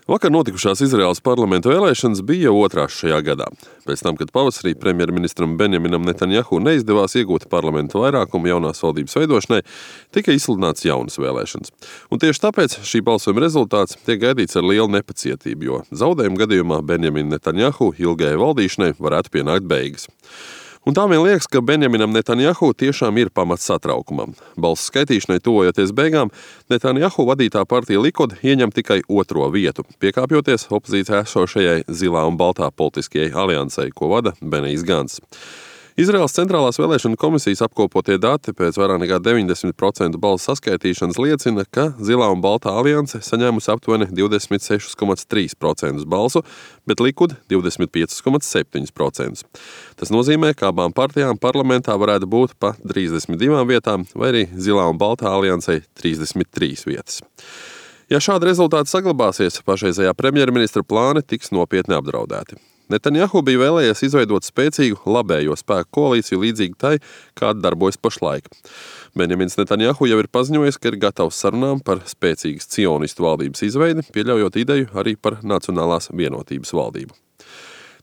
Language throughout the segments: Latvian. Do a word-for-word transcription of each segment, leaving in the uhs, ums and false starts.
Vakar notikušās Izraēlas parlamenta vēlēšanas bija jau otrās šajā gadā. Pēc tam, kad pavasarī premjerministram Benjaminam Netanjahu neizdevās iegūt parlamentu vairākumu jaunās valdības veidošanai, tika izsludināts jaunas vēlēšanas. Un tieši tāpēc šī balsojuma rezultāts tiek gaidīts ar lielu nepacietību, jo zaudējuma gadījumā Benjamina Netanjahu ilgajai valdīšanai varētu pienākt beigas. Un tā vien liekas, ka Benjaminam Netanjahu tiešām ir pamats satraukumam. Balsu skaitīšanai tuvojoties beigām, Netanjahu vadītā partija Likud ieņem tikai otro vietu, piekāpjoties opozīcijā esošajai zilā un baltā politiskajai aliansei, ko vada Benijs Gants. Izraēlas centrālās vēlēšanu komisijas apkopotie dati pēc vairāk nekā deviņdesmit procentu balsu saskaitīšanas liecina, ka zilā un baltā alianse saņēmusi aptuveni divdesmit seši komats trīs procenti balsu, bet Likud divdesmit pieci komats septiņi procenti. Tas nozīmē, ka abām partijām parlamentā varētu būt pa trīsdesmit divām vietām, vai arī zilā un baltā aliansei trīsdesmit trīs vietas. Ja šādi rezultāti saglabāsies, pašreizējā premjerministra plāni tiks nopietni apdraudēti. Netanjahu bija vēlējies izveidot spēcīgu labējo spēku koalīciju līdzīgi tai, kāda darbojas pašlaik. Benjamins Netanjahu jau ir paziņojis, ka ir gatavs sarunām par spēcīgas cionistu valdības izveidi, pieļaujot ideju arī par nacionālās vienotības valdību.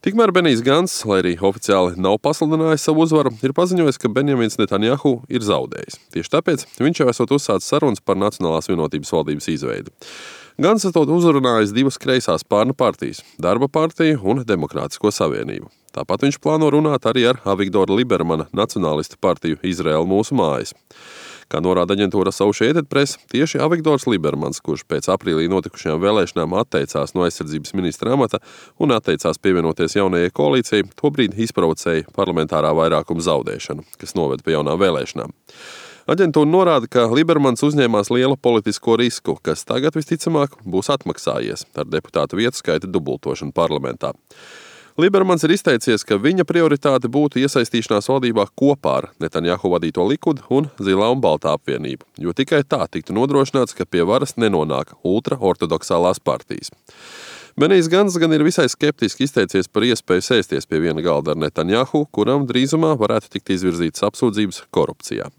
Tikmēr Benijs Gants, lai arī oficiāli nav pasludinājis savu uzvaru, ir paziņojis, ka Benjamins Netanjahu ir zaudējis. Tieši tāpēc viņš jau esot uzsācis sarunas par nacionālās vienotības valdības izveidi. Gants esot uzrunājis divas kreisās spārnu partijas – Darba partiju un Demokrātisko savienību. Tāpat viņš plāno runāt arī ar Avigdora Libermana nacionālistu partiju Izraēla mūsu mājas. Kā norāda aģentūra Associated Press, tieši Avigdors Libermans, kurš pēc aprīlī notikušajām vēlēšanām atteicās no aizsardzības ministra amata un atteicās pievienoties jaunajai koalīcijai, tobrīd izprovocēja parlamentārā vairākuma zaudēšanu, kas noved pie jaunām vēlēšanām. Aģentūra norāda, ka Libermans uzņēmās lielu politisko risku, kas tagad visticamāk būs atmaksājies ar deputātu vietu skaita dubultošanu parlamentā. Libermans ir izteicies, ka viņa prioritāte būtu iesaistīšanās valdībā kopā ar Netanjahu vadīto Likud un zilā un baltā apvienību, jo tikai tā tiktu nodrošināts, ka pie varas nenonāk ultraortodoksālās partijas. Benijs Gants gan ir visai skeptiski izteicies par iespēju sēsties pie viena galda ar Netanjahu, kuram drīzumā varētu tikt izvirzītas apsūdzības korupcijā.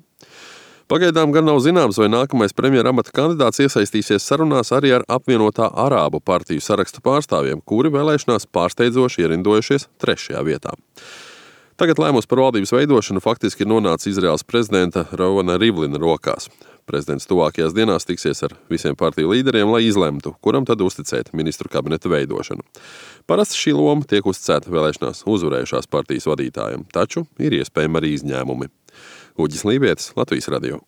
Pagaidām gan nav zināms, vai nākamais premjera amata kandidāts iesaistīsies sarunās arī ar apvienotā arābu partiju saraksta pārstāvjiem, kuri vēlēšanās pārsteidzoši ierindojušies trešajā vietā. Tagad lēmums par valdības veidošanu faktiski ir nonācis Izraēlas prezidenta Rovana Rivlina rokās. Prezidents tuvākajās dienās tiksies ar visiem partiju līderiem, lai izlemtu, kuram tad uzticēt ministru kabineta veidošanu. Parasti šī loma tiek uzticēta vēlēšanās uzvarējušās partijas vadītājiem, taču ir iespējami arī izņēmumi. Uģis Lībietis, Latvijas radio.